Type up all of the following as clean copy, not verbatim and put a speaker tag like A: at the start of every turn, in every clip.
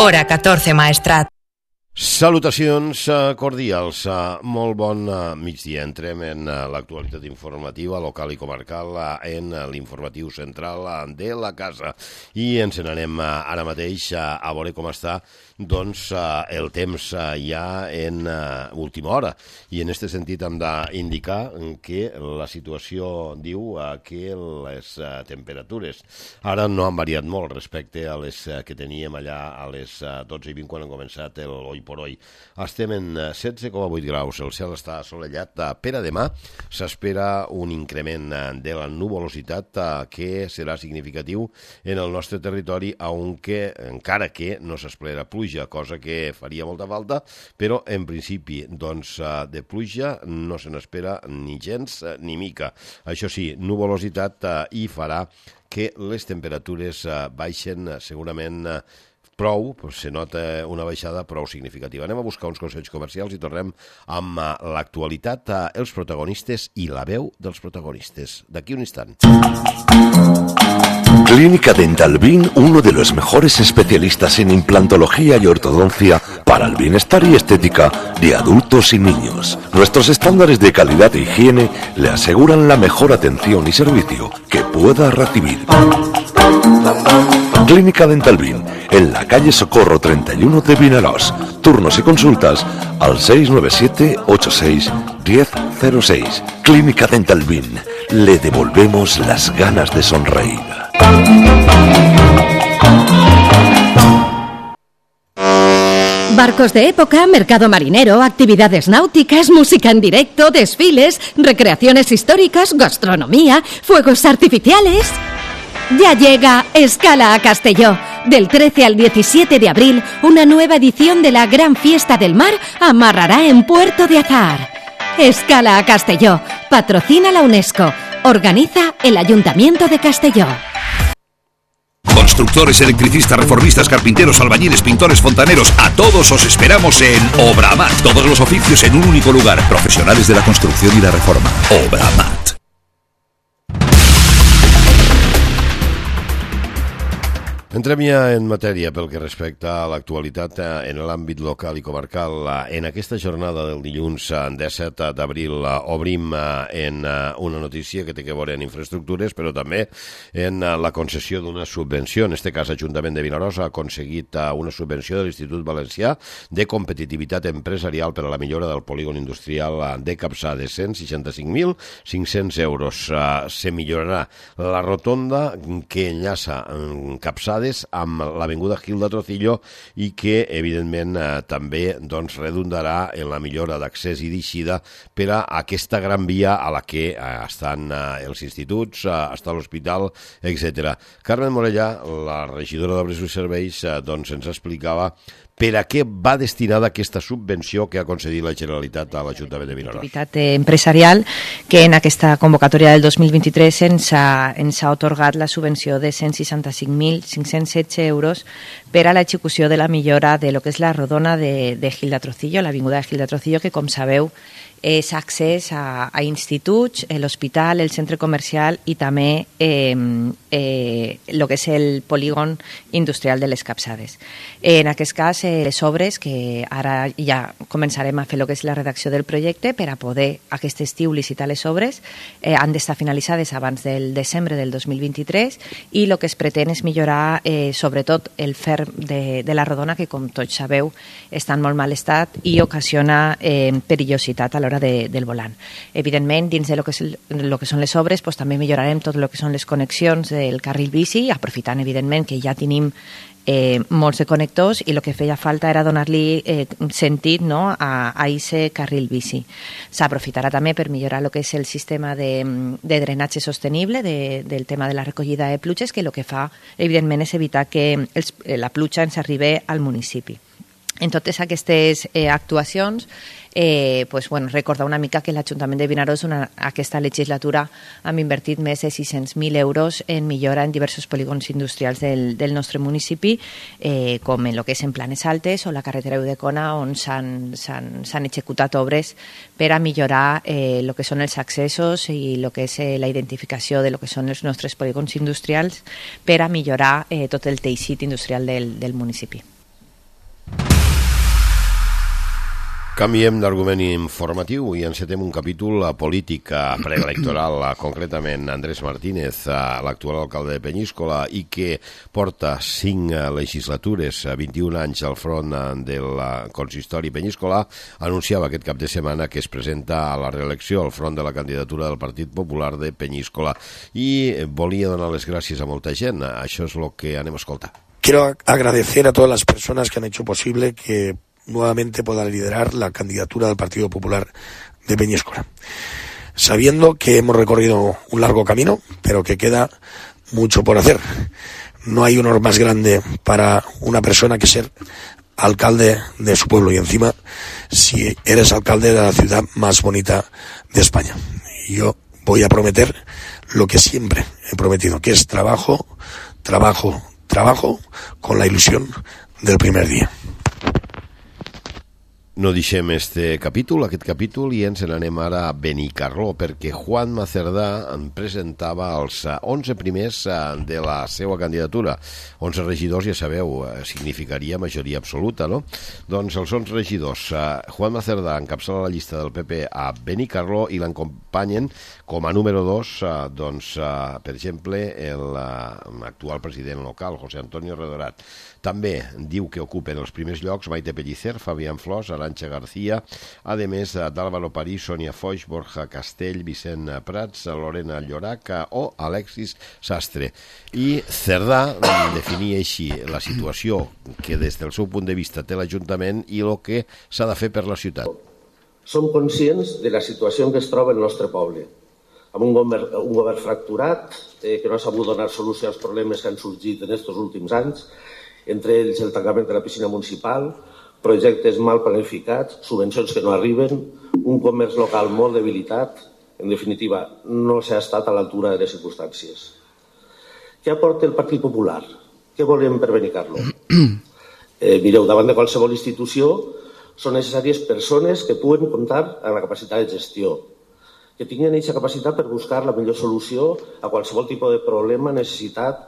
A: Hora 14 Maestrat.
B: Salutacions cordials, molt bon migdia. Entrem en l'actualitat informativa local i comarcal en l'informatiu central de la casa i ens n'anem ara mateix a veure com està el temps ja en última hora, i en aquest sentit hem d'indicar que la situació diu que les temperatures ara no han variat molt respecte a les que teníem allà a les 12:20 quan han començat el Oi por Hoy. Estem en 16,8 graus, el cel està assolellat. Per a demà s'espera un increment de la nuvolositat que serà significatiu en el nostre territori, encara que no s'espera pluja, cosa que faria molta falta, però en principi de pluja no se n'espera ni gens ni mica. Això sí, nuvolositat i farà que les temperatures baixen segurament prou, se nota una baixada prou significativa. Anem a buscar uns consells comercials i tornem amb l'actualitat, els protagonistes i la veu dels protagonistes. D'aquí un instant.
C: Clínica Dental Bin, uno de los mejores especialistas en implantología y ortodoncia para el bienestar y estética de adultos y niños. Nuestros estándares de calidad e higiene le aseguran la mejor atención y servicio que pueda recibir. Clínica Dental Bin, en la calle Socorro 31 de Vinaròs. Turnos y consultas al 697-86-1006. Clínica Dental Bin, le devolvemos las ganas de sonreír.
D: Barcos de época, mercado marinero, actividades náuticas, música en directo, desfiles, recreaciones históricas, gastronomía, fuegos artificiales. Ya llega Escala a Castelló. Del 13 al 17 de abril, una nueva edición de la Gran Fiesta del Mar amarrará en Puerto de Azahar. Escala a Castelló. Patrocina la UNESCO. Organiza el Ayuntamiento de Castelló.
E: Constructores, electricistas, reformistas, carpinteros, albañiles, pintores, fontaneros, a todos os esperamos en Obramat. Todos los oficios en un único lugar. Profesionales de la construcción y la reforma. Obramat.
B: Entrem ja en matèria pel que respecta a l'actualitat en l'àmbit local i comarcal. En aquesta jornada del dilluns 17 d'abril obrim en una notícia que té a veure en infraestructures, però també en la concessió d'una subvenció. En aquest cas, l'Ajuntament de Vinaròs ha aconseguit una subvenció de l'Institut Valencià de Competitivitat Empresarial per a la millora del polígon industrial de Capçades, 165.500 euros. Se millorarà la rotonda que enllaça Capçades amb l'avinguda Gil de Trocillo i que, evidentment, també redundarà en la millora d'accés i d'eixida per a aquesta gran via a la que estan els instituts, està l'hospital, etc. Carmen Morellà, la regidora d'Obres i Serveis, ens explicava per a què va destinada aquesta subvenció que ha concedit la Generalitat a l'Ajuntament de Vinaròs.
F: Activitat empresarial, que en aquesta convocatòria del 2023 ens ha atorgat la subvenció de 165.516 euros per a l'execució de la millora de lo que és la rodona de Gil de Trocillo, l'avinguda de Gil de Trocillo, que, com sabeu, és accés a instituts, l'hospital, el centre comercial i també el que és el polígon industrial de les Capçades. En aquest cas, les obres, que ara ja començarem a fer el que és la redacció del projecte per a poder aquest estiu licitar les obres, han d'estar finalitzades abans del desembre del 2023 i el que es pretén és millorar sobretot el ferm de la rodona, que, com tots sabeu, està en molt mal estat i ocasiona perillositat a l'hora del volant. Evidentment, dins de lo que són les obres, també millorarem tot el que són les connexions del carril bici, aprofitant, evidentment, que ja tenim molts de connectors i el que feia falta era donar-li sentit a aquest carril bici. S'aprofitarà també per millorar el que és el sistema de drenatge sostenible del tema de la recollida de pluges, que el que fa, evidentment, és evitar que la pluja ens arribi al municipi. En totes aquestes actuacions, recordar una mica que l'Ajuntament de Vinaròs aquesta legislatura hem invertit més de 600.000 euros en millora en diversos polígons industrials del nostre municipi, com en el que és en Planes Altes o la carretera Udecona, on s'han executat obres per a millorar el que són els accessos i el que és la identificació de lo que són els nostres polígons industrials per a millorar tot el teixit industrial del municipi.
B: Canviem d'argument informatiu i encetem un capítol polític preelectoral, concretament Andrés Martínez, l'actual alcalde de Peñíscola i que porta 5 legislatures, 21 anys al front del consistori Peñíscola, anunciava aquest cap de setmana que es presenta a la reelecció al front de la candidatura del Partit Popular de Peñíscola i volia donar les gràcies a molta gent. Això és el que anem a escoltar.
A: Quiero agradecer a todas las personas que han hecho posible que nuevamente pueda liderar la candidatura del Partido Popular de Peñíscola, sabiendo que hemos recorrido un largo camino, pero que queda mucho por hacer. No hay honor más grande para una persona que ser alcalde de su pueblo, y encima si eres alcalde de la ciudad más bonita de España. Y yo voy a prometer lo que siempre he prometido, que es trabajo, trabajo, trabajo, con la ilusión del primer día.
B: No deixem aquest capítol, i ens n'anem ara a Benicarló, perquè Juanma Cerdà presentava els 11 primers de la seva candidatura. 11 regidors, ja sabeu, significaria majoria absoluta, no? Doncs els 11 regidors, Juanma Cerdà encapçala la llista del PP a Benicarló i l'acompanyen com a número 2, per exemple, l'actual president local, José Antonio Redorat. També diu que ocupen els primers llocs Maite Pellicer, Fabián Flors, Arantxa García, a més d'Álvaro París, Sònia Foix, Borja Castell, Vicent Prats, Lorena Llorac o Alexis Sastre. I Cerdà definia així la situació que des del seu punt de vista té l'Ajuntament i el que s'ha de fer per la ciutat.
G: Som conscients de la situació en què es troba el nostre poble, amb un govern fracturat que no ha sabut donar solució als problemes que han sorgit en aquests últims anys, entre ells el tancament de la piscina municipal, projectes mal planificats, subvencions que no arriben, un comerç local molt debilitat. En definitiva, no s'ha estat a l'altura de les circumstàncies. Què aporta el Partit Popular? Què volem per Benicarló? Mireu, davant de qualsevol institució són necessàries persones que puguen comptar amb la capacitat de gestió, que tinguin aquesta capacitat per buscar la millor solució a qualsevol tipus de problema, necessitat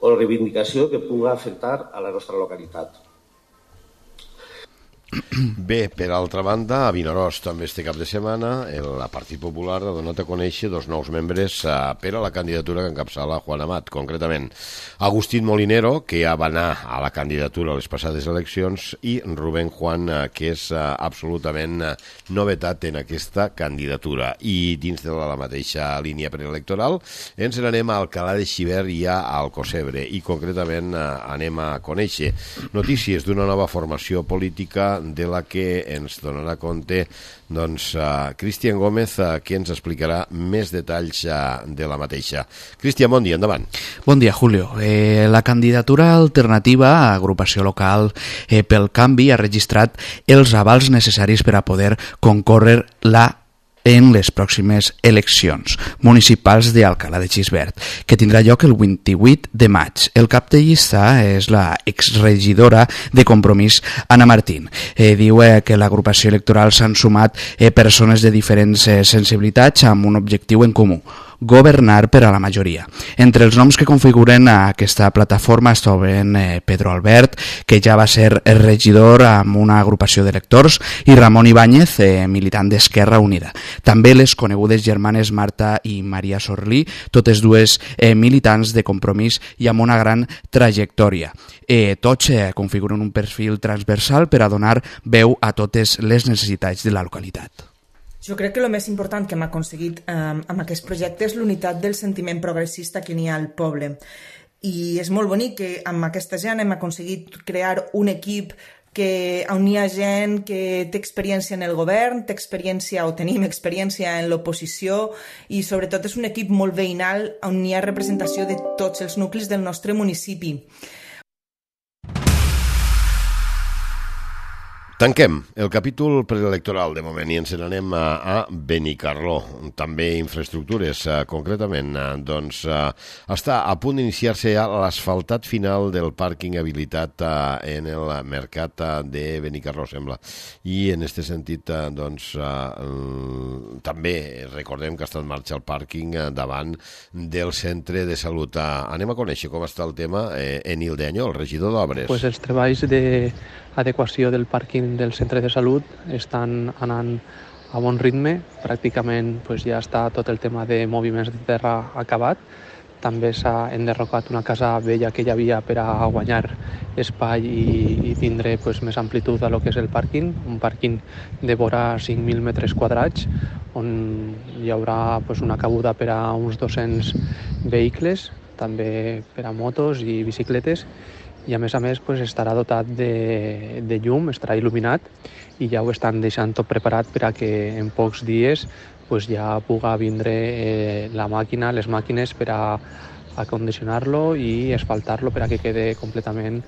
G: o reivindicació que pugui afectar a la nostra localitat.
B: Bé, per altra banda, a Vinaròs també este cap de setmana el Partit Popular ha donat a conèixer 2 nous membres per a la candidatura que encapçala Juan Amat, concretament Agustín Molinero, que ja va anar a la candidatura a les passades eleccions, i Rubén Juan, que és absolutament novetat en aquesta candidatura. I dins de la mateixa línia preelectoral ens n'anem a Alcalá de Xivert i a Alcocebre, i concretament anem a conèixer notícies d'una nova formació política de la que ens donarà compte Cristian Gómez, que ens explicarà més detalls de la mateixa. Cristian, bon dia, endavant.
H: Bon dia, Julio. La candidatura alternativa, Agrupació Local pel Canvi, ha registrat els avals necessaris per a poder concórrer en les pròximes eleccions municipals d'Alcalá de Xivert, que tindrà lloc el 28 de maig. El cap de llista és la exregidora de Compromís, Anna Martín. Diu que l'agrupació electoral s'han sumat persones de diferents sensibilitats amb un objectiu en comú: governar per a la majoria. Entre els noms que configuren aquesta plataforma es troben Pedro Albert, que ja va ser regidor amb una agrupació d'electors, i Ramon Ibáñez, militant d'Esquerra Unida. També les conegudes germanes Marta i Maria Sorlí, totes dues militants de Compromís i amb una gran trajectòria. Tots configuren un perfil transversal per a donar veu a totes les necessitats de la localitat.
I: Jo crec que el més important que hem aconseguit amb aquest projecte és l'unitat del sentiment progressista que n'hi ha al poble. I és molt bonic que amb aquesta gent hem aconseguit crear un equip on hi ha gent que té experiència en el govern, tenim experiència en l'oposició, i sobretot és un equip molt veïnal on hi ha representació de tots els nuclis del nostre municipi.
B: Tanquem el capítol preelectoral de moment i ens n'anem a Benicarló. També infraestructures, concretament. Està a punt d'iniciar-se ja l'asfaltat final del pàrquing habilitat en el mercat de Benicarló, sembla. I en aquest sentit, també recordem que està en marxa el pàrquing davant del centre de salut. Anem a conèixer com està el tema. Enil de Anyó, el regidor d'Obres.
J: Els treballs d'adequació del pàrquing del centre de salut estan anant a bon ritme, pràcticament ja està tot el tema de moviments de terra acabat. També s'ha enderrocat una casa vella que hi havia per a guanyar espai i tindre més amplitud a lo que és el pàrquing, un pàrquing de vora 5.000 metres quadrats, on hi haurà una cabuda per a uns 200 vehicles, també per a motos i bicicletes, i a més estarà dotat de llum, estarà il·luminat, i ja ho estan deixant tot preparat per a que en pocs dies ja pugui vindre la màquina, les màquines per a acondicionar-lo i asfaltar-lo per a que quede completament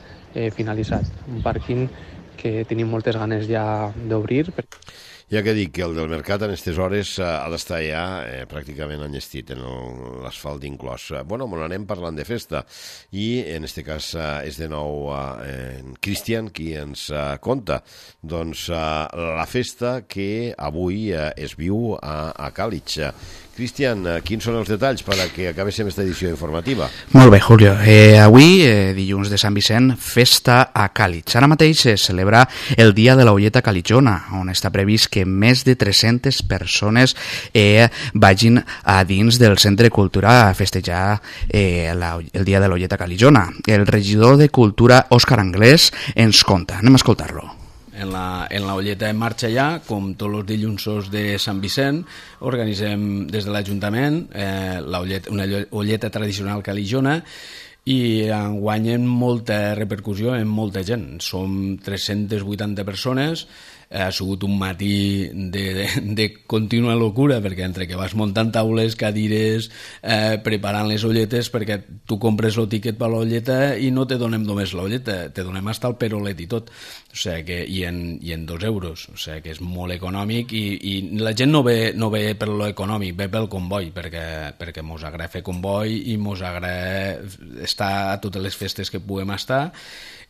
J: finalitzat. Un pàrquing que tenim moltes ganes ja d'obrir.
B: Ja que dic que el del mercat en aquestes hores ha d'estar ja pràcticament enllestit, en l'asfalt inclòs. Bueno, me n'anem parlant de festa i en aquest cas és de nou en Cristian qui ens conta doncs la festa que avui es viu a Càlig. Cristian, quins són els detalls per a que acabéssim aquesta edició informativa?
H: Molt bé, Julio. Avui, dilluns de Sant Vicent, festa a Càlig. Ara mateix es celebra el Dia de la Olleta Calitzona, on està previst que més de 300 persones vagin a dins del Centre de Cultura a festejar el Dia de la Olleta Calitzona. El regidor de Cultura, Òscar Anglès, ens conta. Anem a escoltar-lo.
K: En la Olleta en marxa ja, com tots els dillunsos de Sant Vicent, organitzem des de l'Ajuntament una olleta tradicional calitzona i guanyen molta repercussió en molta gent. Som 380 persones, ha sigut un matí de contínua locura, perquè entre que vas muntant taules, cadires, preparant les olletes, perquè tu compres el tiquet per l'olleta i no te donem només l'olleta, te donem hasta el perolet i tot, o sigui que, i en 2 euros, o sigui que és molt econòmic i la gent no ve per lo econòmic, ve pel comboi, perquè mos agrada fer comboi i mos agrada estar a totes les festes que puguem estar,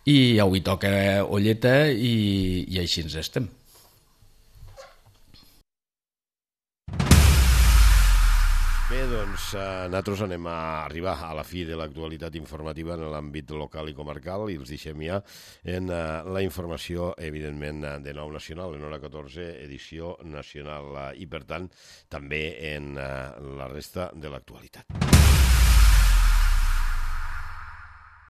K: i avui toca olleta i així ens estem.
B: Bé, doncs nosaltres anem a arribar a la fi de l'actualitat informativa en l'àmbit local i comarcal i els deixem ja en la informació, evidentment, de Nou Nacional, en hora 14, edició nacional, i per tant també en la resta de l'actualitat.